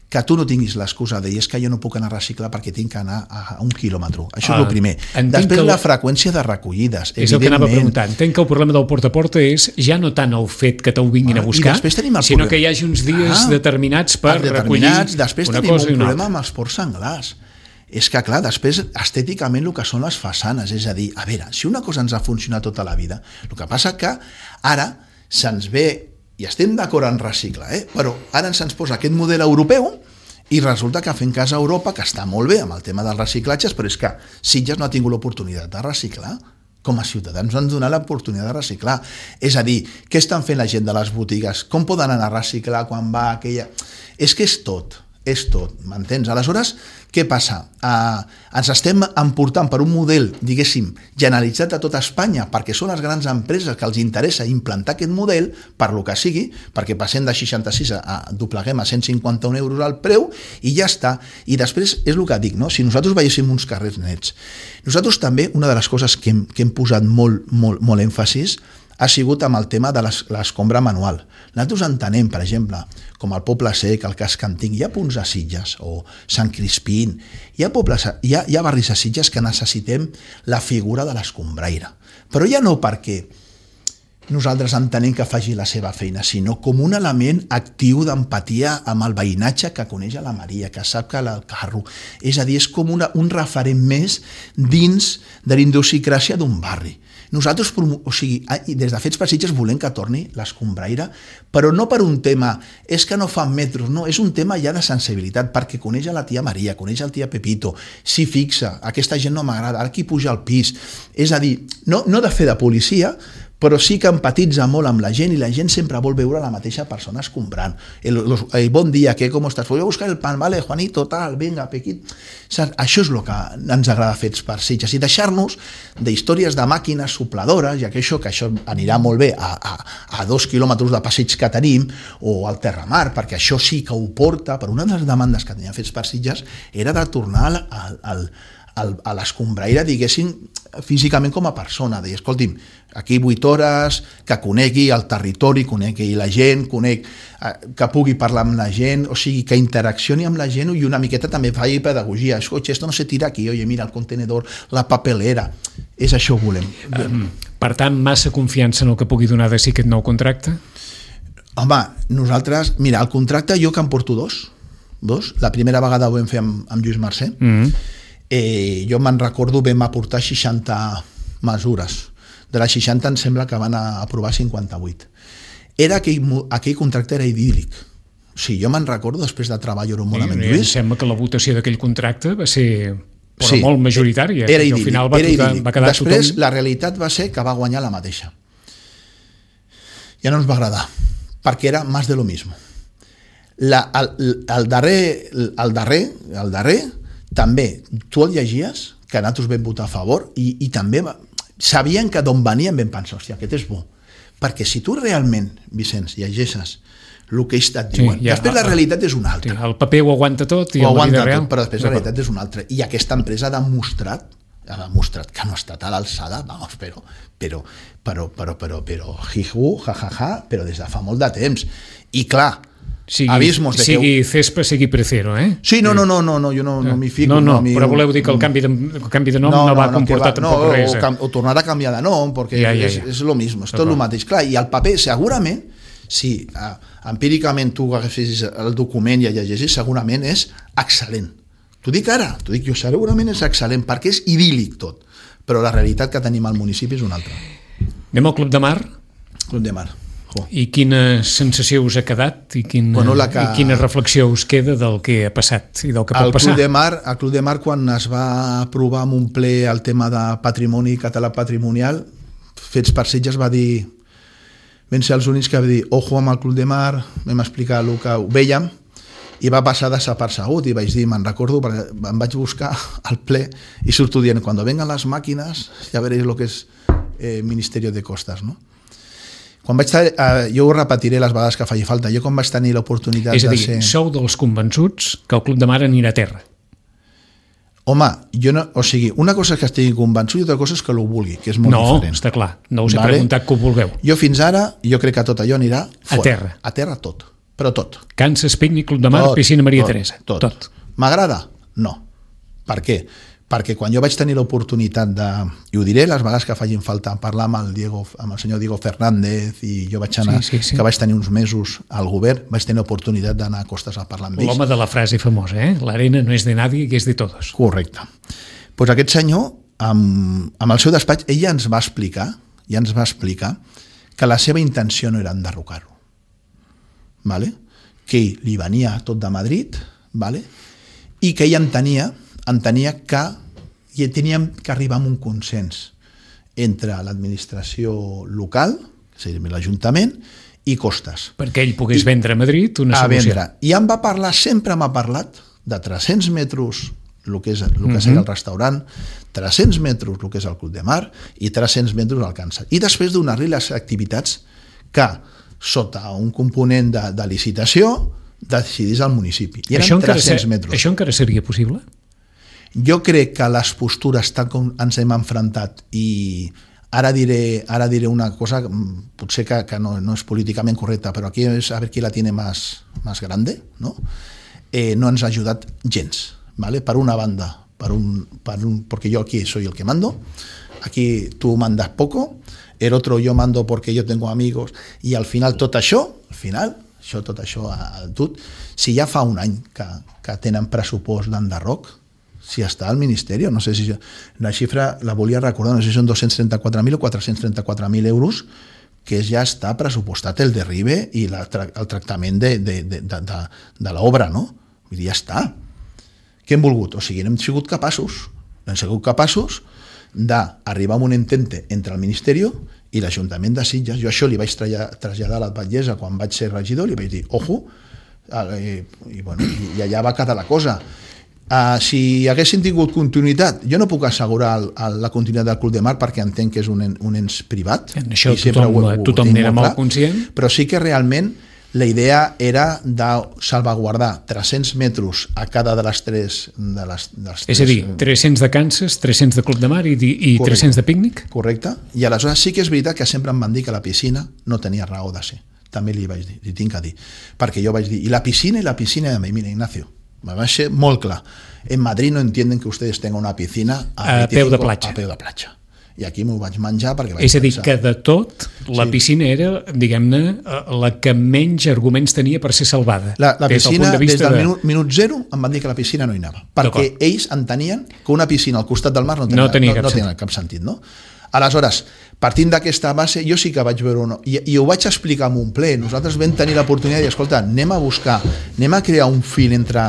Speaker 2: Que tu no tinguis l'excusa de dir és que jo no puc anar a reciclar perquè tinc que anar a un quilòmetre. Això ah, és el primer. Després la freqüència de recollides.
Speaker 1: És el que anava a preguntar. Entenc que el problema del porta a porta és ja no tant el fet que t'ho vinguin ah, a buscar, sinó que hi hagi uns dies ah, determinats per determinats, recollir
Speaker 2: després una cosa i una altra. Després tenim un problema amb els ports senglars. És que, clar, després, estèticament, el que són les façanes, és a dir, a veure, si una cosa ens ha funcionat tota la vida, el que passa que ara se'ns ve i estem d'acord en reciclar, eh? Però ara se'ns posa aquest model europeu i resulta que fem cas a Europa, que està molt bé amb el tema dels reciclatges, però és que Sitges no ha tingut l'oportunitat de reciclar. Com a ciutadans han donat l'oportunitat de reciclar. És a dir, què estan fent la gent de les botigues? Com poden anar a reciclar quan va aquella... És que és tot. és tot, m'entens? Aleshores, què passa? Uh, ens estem emportant per un model, diguéssim, generalitzat a tota Espanya, perquè són les grans empreses que els interessa implantar aquest model, per lo que sigui, perquè passem de seixanta-sis a, a dobleguem a cent cinquanta-un euros al preu, i ja està. I després, és el que dic, no? Si nosaltres veiéssim uns carrers nets, nosaltres també, una de les coses que hem, que hem posat molt, molt, molt èmfasis, ha sigut amb el tema de l'escombra manual. Nosaltres entenem, per exemple, com el Poble Sec, el Cas Canting, hi ha punts a Sitges, o Sant Crispín, hi ha, pobles, hi ha, hi ha barris a Sitges que necessitem la figura de l'escombraire. Però ja no perquè nosaltres entenem que faci la seva feina, sinó com un element actiu d'empatia amb el veïnatge que coneix a la Maria, que sap que el carro... És a dir, és com una, un referent més dins de la idiosincràsia d'un barri. Nosaltres, o sigui, des de Fets per Sitges volem que torni l'escombraire, però no per un tema, és que no fan metros, no, és un tema ja de sensibilitat, perquè coneix a la tia Maria, coneix al tia Pepito, s'hi fixa, aquesta gent no m'agrada, ara qui puja al pis. És a dir, no, no de fer de policia, però sí que empatitza molt amb la gent i la gent sempre vol veure la mateixa persona escombrant. El, el, el bon dia, què, com estàs? Voy a buscar el pan, vale, Juanito, tal, venga, Pequit. Saps? Això és el que ens agrada Fets per Sitges i deixar-nos d'històries de màquines sopladores, ja que això, que això anirà molt bé a, a, a dos quilòmetres de passeig que tenim o al Terramar, perquè això sí que ho porta, per una de les demandes que tenia Fets per Sitges era de tornar al, al, al, a l'escombraire, diguéssim, físicament com a persona, deia, escolti'm, aquí vuit hores, que conegui el territori, conegui la gent, conec, que pugui parlar amb la gent, o sigui, que interaccioni amb la gent i una miqueta també faci pedagogia. Escolta, esto no se tira aquí, oye, mira, el contenedor, la papelera, és això que volem.
Speaker 1: Um, per tant, massa confiança en el que pugui donar de si aquest nou contracte?
Speaker 2: Home, nosaltres, mira, el contracte jo que em porto dos, dos, la primera vegada ho vam fer amb, amb Lluís Mercè, mm-hmm. Eh, jo me'n recordo, vam aportar seixanta mesures. De les seixanta em sembla que van aprovar cinquanta-vuit. Era aquell, aquell contracte era idíl·lic. O sigui, jo me'n recordo, després de treballar-ho molt amb en Lluís...
Speaker 1: Em sembla que la votació d'aquell contracte va ser però
Speaker 2: sí,
Speaker 1: molt majoritària.
Speaker 2: Era idíl·lic.
Speaker 1: Al final va,
Speaker 2: era idíl·lic.
Speaker 1: va quedar
Speaker 2: després,
Speaker 1: tothom...
Speaker 2: la realitat va ser que va guanyar la mateixa. Ja no ens va agradar, perquè era més de lo mismo. La, el, el darrer... El darrer... El darrer també, tu el llegies, que nosaltres vam votar a favor, i, i també va, sabien que d'on venien vam pensar, hòstia, aquest és bo. Perquè si tu realment, Vicenç, llegeixes el que ells et diuen, sí, ja, després la realitat és una altra.
Speaker 1: Sí, el paper ho aguanta tot i
Speaker 2: ho
Speaker 1: la
Speaker 2: aguanta
Speaker 1: vida real...
Speaker 2: tot, però després la realitat és una altra. I aquesta empresa ha demostrat, ha demostrat que no ha estat a l'alçada, vamos, però, però, però, però, però, però, jiju, jajaja, però des de fa molt de temps. I clar, sigui, abismos de
Speaker 1: sigui
Speaker 2: que...
Speaker 1: Cespa, sigui Precero, eh?
Speaker 2: Sí, no, no, no, no, no jo no, no m'hi fico.
Speaker 1: No, no,
Speaker 2: no mi...
Speaker 1: però voleu dir que el canvi de, el canvi de nom no, no va no, comportar va, tampoc
Speaker 2: no,
Speaker 1: res.
Speaker 2: O, cam, o tornar a canviar de nom, perquè ja, ja, ja. És, és lo mismo, és tot el mateix. Clar, i el paper, segurament, si uh, empíricament tu agafessis el document i el llegessis, segurament és excel·lent. T'ho dic ara, t'ho dic jo, segurament és excel·lent, perquè és idíl·lic tot, però la realitat que tenim al municipi és una altra.
Speaker 1: Anem al Club de Mar?
Speaker 2: Club de Mar.
Speaker 1: I quina sensació us ha quedat i quina, bueno, que... i quina reflexió us queda del que ha passat i del que pot
Speaker 2: el
Speaker 1: passar?
Speaker 2: Club de Mar, el Club de Mar, quan es va aprovar amb un ple el tema de patrimoni català patrimonial, Fets per Sitges va dir, vam ser els únics que va dir ojo amb el Club de Mar, vam explicar el que ho vèiem i va passar desapercegut i vaig dir, me'n recordo, perquè em vaig buscar al ple i surto dient, quan vengan les màquines ja veréis lo que és eh, Ministerio de Costas, no? Quan vaig estar, eh, jo ho repetiré les vegades que faci falta, jo quan vaig tenir l'oportunitat de ser...
Speaker 1: És a dir, sou dels convençuts que el Club de Mar anirà a terra?
Speaker 2: Home, jo no, o sigui, una cosa és que estigui convençut i altra cosa és que ho vulgui, que és molt
Speaker 1: no,
Speaker 2: diferent.
Speaker 1: No, està clar, no us he
Speaker 2: vale?
Speaker 1: preguntat que ho vulgueu.
Speaker 2: Jo fins ara, jo crec que tot allò anirà fora.
Speaker 1: A terra.
Speaker 2: A terra tot, però tot.
Speaker 1: Kansas, Picnic, Club de Mar, tot, Piscina Maria
Speaker 2: tot,
Speaker 1: Teresa.
Speaker 2: Tot. tot. M'agrada? No. Per què? Perquè quan jo vaig tenir l'oportunitat de, i ho diré les vegades que facin falta, parlar amb el, Diego, amb el senyor Diego Fernández i jo vaig anar, sí, sí, sí. que vaig tenir uns mesos al govern, vaig tenir l'oportunitat d'anar a Costes a parlar amb ells.
Speaker 1: L'home de la frase famosa, eh? L'arena no és de nadie, que és de todos.
Speaker 2: Correcte. Doncs pues aquest senyor, amb, amb el seu despatx, ell ja ens va explicar, ja ens va explicar que la seva intenció no era enderrocar-ho. Vale? Que ell li venia tot de Madrid, vale? I que ell entenia entenia que i teníem que arribar a un consens entre l'administració local, és a dir, l'Ajuntament, i Costes.
Speaker 1: Perquè ell pogués I, vendre a Madrid una
Speaker 2: a
Speaker 1: solució.
Speaker 2: Vendre. I em va parlar, sempre m'ha parlat de tres-cents metres el que, és, el que uh-huh. seria el restaurant, tres-cents metres el que és el Club de Mar i tres-cents metres el Kansas. I després donar-li les activitats que, sota un component de, de licitació, decidís al municipi. I eren tres-cents metres.
Speaker 1: Això encara seria possible?
Speaker 2: Jo crec que les postures tal com ens hem enfrontat i ara diré, ara diré una cosa potser que, que no, no és políticament correcta, però aquí és a veure qui la tiene más, más grande, ¿no? Eh, no ens ha ajudat gens, ¿vale? Per una banda, per un, per un, porque yo aquí soy el que mando, aquí tú mandas poco, el otro yo mando porque yo tengo amigos, i al final tot això, al final, això, tot això, al tot, si ja fa un any que, que tenen pressupost d'enderroc, si està al Ministeri, no sé si la xifra la volia recordar, no sé si són dos-cents trenta-quatre mil o quatre-cents trenta-quatre mil euros, que ja està pressupostat el derribe i la, el tractament de, de, de, de, de, de l'obra, no? Vull dir, ja està. Què hem volgut? O sigui, hem sigut capaços, hem sigut capaços d'arribar a un entente entre el Ministeri i l'Ajuntament de Sitges. Jo això li vaig traslladar a l'alcaldessa quan vaig ser regidor, li vaig dir, ojo, i, i, bueno, i allà va quedar la cosa. Uh, si haguessin tingut continuïtat, jo no puc assegurar el, el, la continuïtat del Club de Mar perquè entenc que és un, un ens privat.
Speaker 1: En això tothom, ho, ho tothom n'era molt conscient.
Speaker 2: Però sí que realment la idea era de salvaguardar tres-cents metres a cada de les tres... De les, de les
Speaker 1: és a dir, tres-cents de Kansas, tres-cents de Club de Mar i, i tres-cents de pícnic?
Speaker 2: Correcte. I aleshores sí que és veritat que sempre em van dir que la piscina no tenia raó de ser. També li vaig dir, li tinc que dir. Perquè jo vaig dir, i la piscina, i la piscina, i mira, Ignacio, me va ser molt clar. En Madrid no entienden que ustedes tengan una piscina
Speaker 1: a, a peu de platja.
Speaker 2: A peu de platja. I aquí m'ho vaig menjar perquè vaig
Speaker 1: És a dir,
Speaker 2: pensar...
Speaker 1: que de tot, la sí. piscina era, diguem-ne, la que menys arguments tenia per ser salvada.
Speaker 2: La, la
Speaker 1: des
Speaker 2: piscina,
Speaker 1: del
Speaker 2: de des del
Speaker 1: de...
Speaker 2: minut, minut zero, em van dir que la piscina no hi anava. Perquè ells entenien que una piscina al costat del mar no tenia,
Speaker 1: no tenia,
Speaker 2: no,
Speaker 1: cap,
Speaker 2: no tenia cap sentit. No? Aleshores, partint d'aquesta base, jo sí que vaig veure una... I, i ho vaig explicar en un ple. Nosaltres vam tenir l'oportunitat de dir, escolta, anem a buscar, anem a crear un fil entre...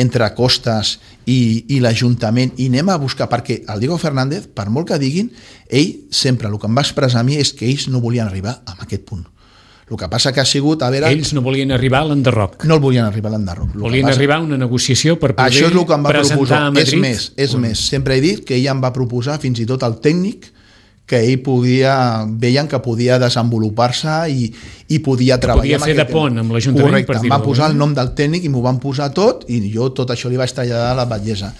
Speaker 2: entre Costas i, i l'Ajuntament i anem a buscar, perquè el Diego Fernández, per molt que diguin, ell sempre, el que em va expressar a mi és que ells no volien arribar a aquest punt. El que passa que ha sigut... A veure,
Speaker 1: ells no volien arribar a l'enderroc.
Speaker 2: No el volien arribar a l'enderroc.
Speaker 1: Volien
Speaker 2: passa,
Speaker 1: arribar a una negociació per poder
Speaker 2: això és el que em va
Speaker 1: presentar
Speaker 2: proposar.
Speaker 1: a Madrid.
Speaker 2: És més, és un... més. Sempre he dit que ell em va proposar fins i tot el tècnic que ell podia, veien que podia desenvolupar-se i, i podia
Speaker 1: que
Speaker 2: treballar...
Speaker 1: Podia fer de pont amb l'Ajuntament.
Speaker 2: Correcte, em va posar el nom del tècnic i m'ho van posar tot i jo tot això li vaig traslladar a la batllessa.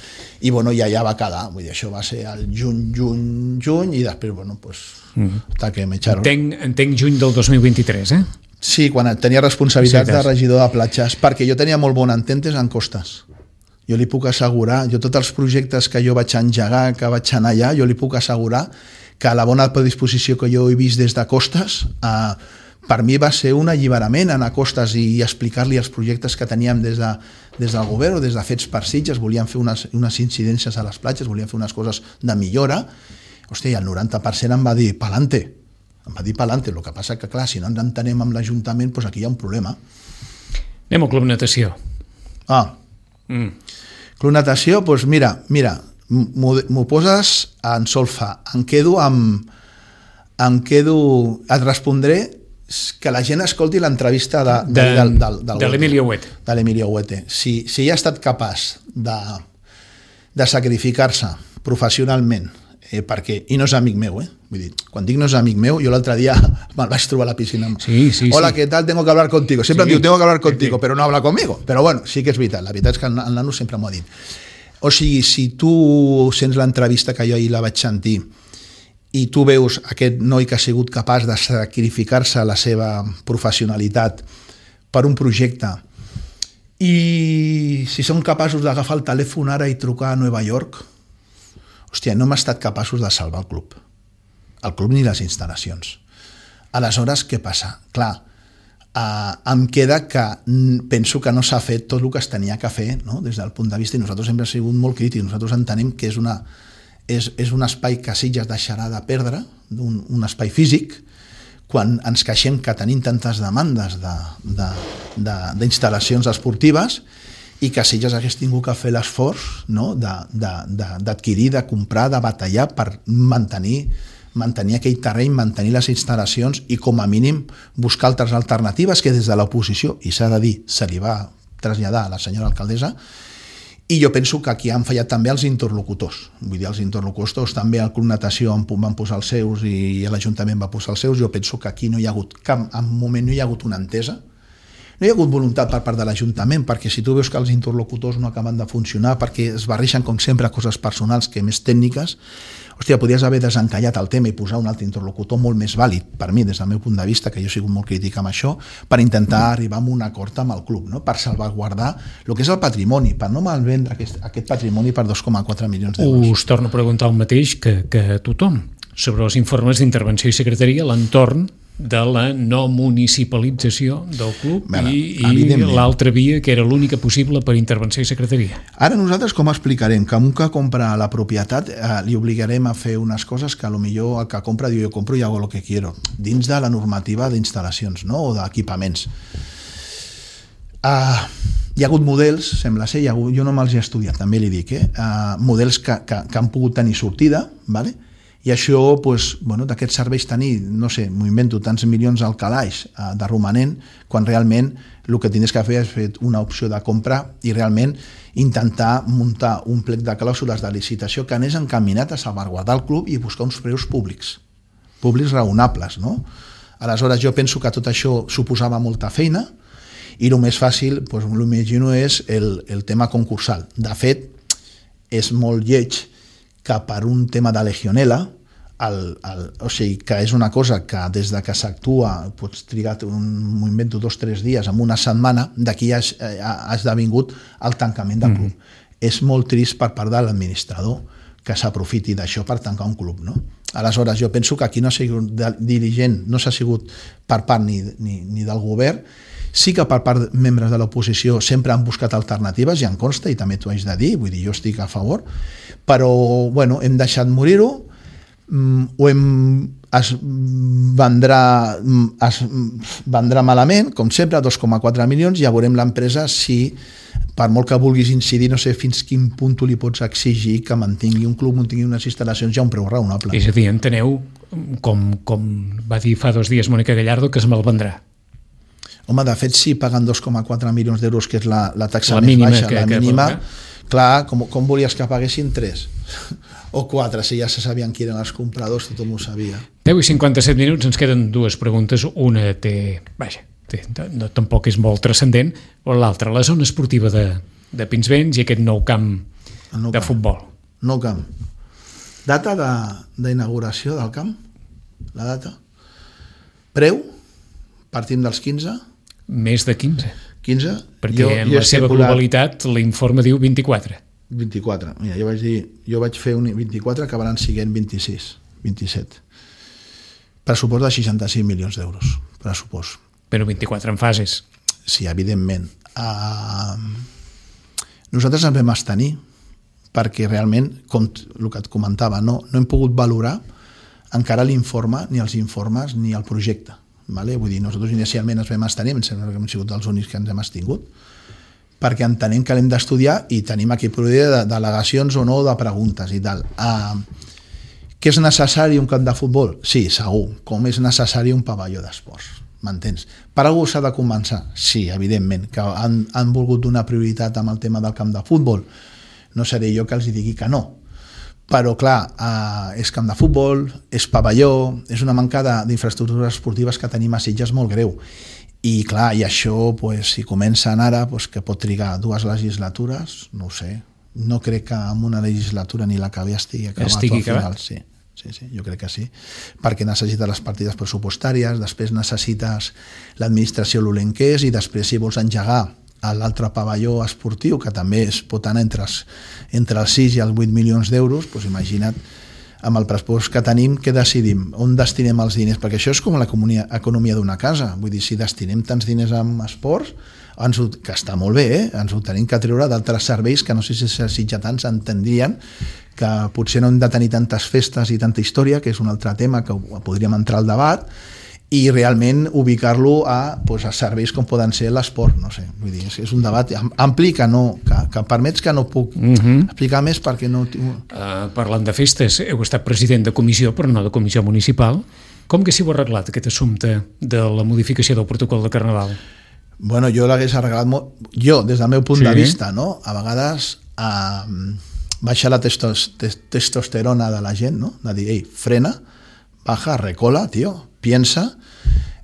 Speaker 2: I bueno, ja ja va quedar, vull dir, això va ser el juny, juny, juny i després, bueno, pues, mm. hasta que m'echaron.
Speaker 1: Entenc, entenc juny del dos mil vint-i-tres, eh?
Speaker 2: Sí, quan tenia responsabilitat
Speaker 1: sí,
Speaker 2: de regidor de platges, perquè jo tenia molt bon ententes en Costas. Jo li puc assegurar, jo tots els projectes que jo vaig engegar, que vaig anar allà, jo li puc assegurar que la bona predisposició que jo he vist des de Costas, eh, per mi va ser un alliberament anar a Costas i explicar-li els projectes que teníem des, de, des del govern o des de Fets per Sitges, volíem fer unes, unes incidències a les platges, volíem fer unes coses de millora. Hòstia, i el noranta per cent em va dir pa'lante, em va dir pa'lante, el que passa que clar, si no ens entenem amb l'Ajuntament, doncs aquí hi ha un problema.
Speaker 1: Anem al Club Natació.
Speaker 2: Ah, mm. Club Natació, doncs mira, mira, m'ho poses en solfa, em quedo amb em quedo, et respondré que la gent escolti l'entrevista de, de, de, del, del, del
Speaker 1: de l'Emilio Huete
Speaker 2: de l'Emilio Huete. Si, si ella ha estat capaç de, de sacrificar-se professionalment eh, perquè, i no és amic meu, eh? Vull dir, quan dic no és amic meu, jo l'altre dia me'l vaig trobar a la piscina.
Speaker 1: Sí, sí,
Speaker 2: Hola,
Speaker 1: sí.
Speaker 2: ¿qué tal? Tengo que hablar contigo. Sempre
Speaker 1: sí.
Speaker 2: em diu, tengo que hablar contigo,
Speaker 1: sí.
Speaker 2: però no habla conmigo. Però bueno, sí que és veritat. La veritat és que el nano sempre m'ho ha dit. O sigui, si tu sents l'entrevista que jo ahir la vaig sentir i tu veus aquest noi que ha sigut capaç de sacrificar-se la seva professionalitat per un projecte i si són capaços d'agafar el telèfon ara i trucar a Nova York, hòstia, no hem estat capaços de salvar el club. El club ni les instal·lacions. Aleshores, què passa? Clar, Uh, em queda que penso que no s'ha fet tot el que es tenia que fer, no? Des del punt de vista, i nosaltres sempre hem sigut molt crítics, nosaltres entenem que és, una, és, és un espai que Sitges deixarà de perdre, un, un espai físic, quan ens queixem que tenim tantes demandes d'instal·lacions de, de, de, esportives i que Sitges hagués tingut que fer l'esforç, no? d'adquirir, de, de, de comprar, de batallar per mantenir mantenir aquell terreny, mantenir les instal·lacions i com a mínim buscar altres alternatives que des de l'oposició, i s'ha de dir, se li va traslladar a la senyora alcaldessa, i jo penso que aquí han fallat també els interlocutors. Vull dir, els interlocutors també al Club Natació van posar els seus i l'Ajuntament va posar els seus. Jo penso que aquí no hi ha hagut cap, en un moment no hi ha hagut una entesa, no hi ha hagut voluntat per part de l'Ajuntament, perquè si tu veus que els interlocutors no acaben de funcionar, perquè es barreixen com sempre coses personals que més tècniques, hòstia, podries haver desencallat el tema i posar un altre interlocutor molt més vàlid per mi, des del meu punt de vista, que jo he sigut molt crític amb això, per intentar arribar a un acord amb el club, no? Per salvaguardar el que és el patrimoni, per no malvendre aquest, aquest patrimoni per dos coma quatre milions d'euros.
Speaker 1: Us torno a preguntar el mateix que, que tothom. sobre els informes d'intervenció i secretaria a l'entorn de la no municipalització del club bueno, i, i l'altra via que era l'única possible per intervenció i secretaria.
Speaker 2: Ara nosaltres com explicarem? Que un que compra la propietat eh, li obligarem a fer unes coses que potser el que compra diu jo compro i hago lo que quiero, dins de la normativa d'instal·lacions, no? O d'equipaments. Uh, hi ha hagut models, sembla ser, hi ha hagut, jo no me'ls he estudiat, també li dic, eh? uh, models que, que, que han pogut tenir sortida, ¿vale? I això, pues, bueno, d'aquests serveis tenir, no sé, m'ho invento, tants milions al calaix eh, de romanent, quan realment el que tens que fer és fer una opció de compra i realment intentar muntar un plec de clàusules de licitació que anés encaminat a salvaguardar el club i buscar uns preus públics, públics raonables, no? Aleshores, jo penso que tot això suposava molta feina i el més fàcil, pues, l'imagino, és el, el tema concursal. De fet, és molt lleig que per un tema de legionela, el, el, o sigui, que és una cosa que des de que s'actua pots trigar un moviment de dos o tres dies en una setmana, d'aquí ha, ha esdevingut el tancament del club. Mm. És molt trist per part de l'administrador que s'aprofiti d'això per tancar un club, no? Aleshores, jo penso que aquí no ha sigut dirigent, no s'ha sigut per part ni, ni, ni del govern. Sí que per part de membres de l'oposició sempre han buscat alternatives, ja em consta, i també t'ho haig de dir, vull dir, jo estic a favor, però bueno, hem deixat morir-ho, ho hem, es, vendrà, es vendrà malament, com sempre, dos coma quatre milions, ja veurem l'empresa si, per molt que vulguis incidir, no sé fins quin punt tu li pots exigir que mantingui un club, mantingui unes instal·lacions ja un preu raonable.
Speaker 1: És a dir, enteneu, com, com va dir fa dos dies Mónica Gallardo, que es malvendrà.
Speaker 2: Home, de fet, si paguen dos coma quatre milions d'euros, que és la, la taxa
Speaker 1: la
Speaker 2: més
Speaker 1: mínima,
Speaker 2: baixa,
Speaker 1: que,
Speaker 2: la
Speaker 1: que
Speaker 2: mínima,
Speaker 1: que...
Speaker 2: clar, com, com volies que paguessin tres o quatre, si ja se sabien qui eren els compradors, tothom ho sabia.
Speaker 1: deu i cinquanta-set minuts, ens queden dues preguntes. Una té, vaja, té, no, tampoc és molt transcendent, o l'altra, la zona esportiva de, de Pinsbens i aquest nou camp nou de camp. Futbol.
Speaker 2: Nou camp. Data d'inauguració de, del camp? La data? Preu? Partim dels quinze?
Speaker 1: Més de quinze.
Speaker 2: quinze?
Speaker 1: Perquè jo, en jo la seva globalitat l'informe diu vint-i-quatre.
Speaker 2: vint-i-quatre. Mira, jo vaig dir, jo vaig fer un vint-i-quatre, acabaran siguent vint-i-sis, vint-i-set. Pressupost de seixanta-cinc milions d'euros. Pressupost.
Speaker 1: Però vint-i-quatre en fases.
Speaker 2: Sí, evidentment. Uh, nosaltres ens vam abstenir perquè realment, com el que et comentava, no, no hem pogut valorar encara l'informe, ni els informes, ni el projecte. Vale? Vull dir, nosaltres inicialment ens vam abstenir, em sembla que hem sigut els únics que ens hem abstingut, perquè entenem que l'hem d'estudiar i tenim aquí de delegacions o no de preguntes i tal. Uh, que és necessari un camp de futbol? Sí, segur. Com és necessari un pavelló d'esports? M'entens? Per algú s'ha de començar? Sí, evidentment, que han, han volgut donar prioritat amb el tema del camp de futbol. No seré jo que els digui que no. Però, clar, eh, és camp de futbol, és pavelló, és una manca d'infraestructures esportives que tenim a Sitges molt greu. I, clar, i això, pues, si comencen ara, pues, que pot trigar dues legislatures, no ho sé. No crec que en una legislatura ni la que ve estigui acabat.
Speaker 1: Estigui
Speaker 2: al final.
Speaker 1: acabat?
Speaker 2: Sí, sí, sí, jo crec que sí. Perquè necessites les partides pressupostàries, després necessites l'administració l'olent que és, i després, si vols engegar a l'altre pavelló esportiu, que també es pot anar entre els, entre els sis i els vuit milions d'euros, doncs imagina't, amb el pressupost que tenim, què decidim? On destinem els diners? Perquè això és com l'economia economia d'una casa. Vull dir, si destinem tants diners en esports, ens ho, que està molt bé, eh? Ens ho tenim que treure d'altres serveis que no sé si els sitjatans entendrien que potser no hem de tenir tantes festes i tanta història, que és un altre tema que podríem entrar al debat, i realment ubicar-lo a, pues, a serveis com poden ser l'esport, no sé, vull dir, és un debat ampli que no, que, que permets que no puc uh -huh. explicar més perquè no...
Speaker 1: Uh, parlant de festes, heu estat president de comissió, però no de comissió municipal. Com que s'hi ho ha arreglat, aquest assumpte de la modificació del protocol de Carnaval?
Speaker 2: Bueno, jo l'hagués arreglat molt... Jo, des del meu punt sí. de vista, no? A vegades uh, baixar la testos, testosterona de la gent, no? De dir, ei, frena, baja, recola, tio, piensa,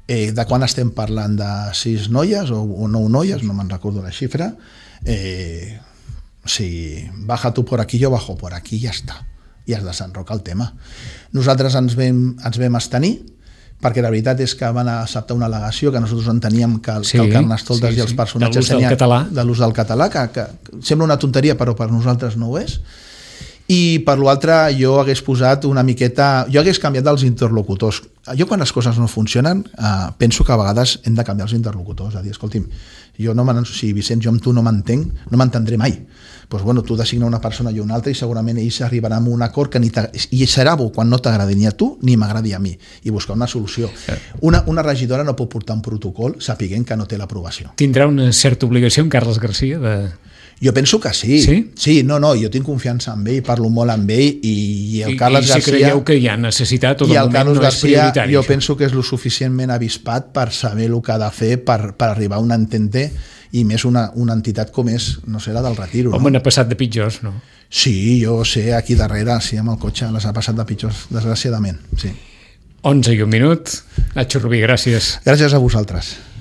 Speaker 2: eh, de quan estem parlant de sis noies o, o nou noies, no me'n recordo la xifra, eh, si baja tu por aquí, jo bajo por aquí, ja està, i has de desenrocar el tema. Nosaltres ens vam, ens vam abstenir, perquè la veritat és que van acceptar una al·legació que nosaltres enteníem que el, sí, que el Carnestoltes sí, sí. i els personatges
Speaker 1: de l'ús del català,
Speaker 2: de l'ús del català que, que sembla una tonteria, però per nosaltres no ho és. I per l'altre jo hagués posat una miqueta, jo hagués canviat els interlocutors. Jo quan les coses no funcionen eh, penso que a vegades hem de canviar els interlocutors, a dir, escolti'm, jo no si Vicenç, jo amb tu no m'entenc, no m'entendré mai. Pues bueno, tu designa una persona i una altra i segurament ells arribaran a un acord que ni i serà bo quan no t'agradi ni a tu ni m'agradi a mi, i buscar una solució. Una, una regidora no pot portar un protocol sapiguent que no té l'aprovació.
Speaker 1: Tindrà una certa obligació en Carles Garcia de...
Speaker 2: Jo penso que sí.
Speaker 1: Sí?
Speaker 2: Sí, no, no, jo tinc confiança en ell, parlo molt amb ell i, i el
Speaker 1: I,
Speaker 2: Carles
Speaker 1: i si
Speaker 2: Garcia...
Speaker 1: creieu que hi ha necessitat o de
Speaker 2: I el
Speaker 1: moment
Speaker 2: Carles
Speaker 1: no és
Speaker 2: Garcia,
Speaker 1: prioritari.
Speaker 2: jo
Speaker 1: això.
Speaker 2: penso que és lo suficientment avispat per saber el que ha de fer per, per arribar a un entente, i més una, una entitat com és, no sé, la del Retiro.
Speaker 1: Home,
Speaker 2: no?
Speaker 1: n'ha passat de pitjors, no?
Speaker 2: Sí, jo sé, aquí darrere, sí, amb el cotxe, les ha passat de pitjors, desgraciadament, sí.
Speaker 1: onze i un minut. Nacho Rubí, gràcies.
Speaker 2: Gràcies a vosaltres.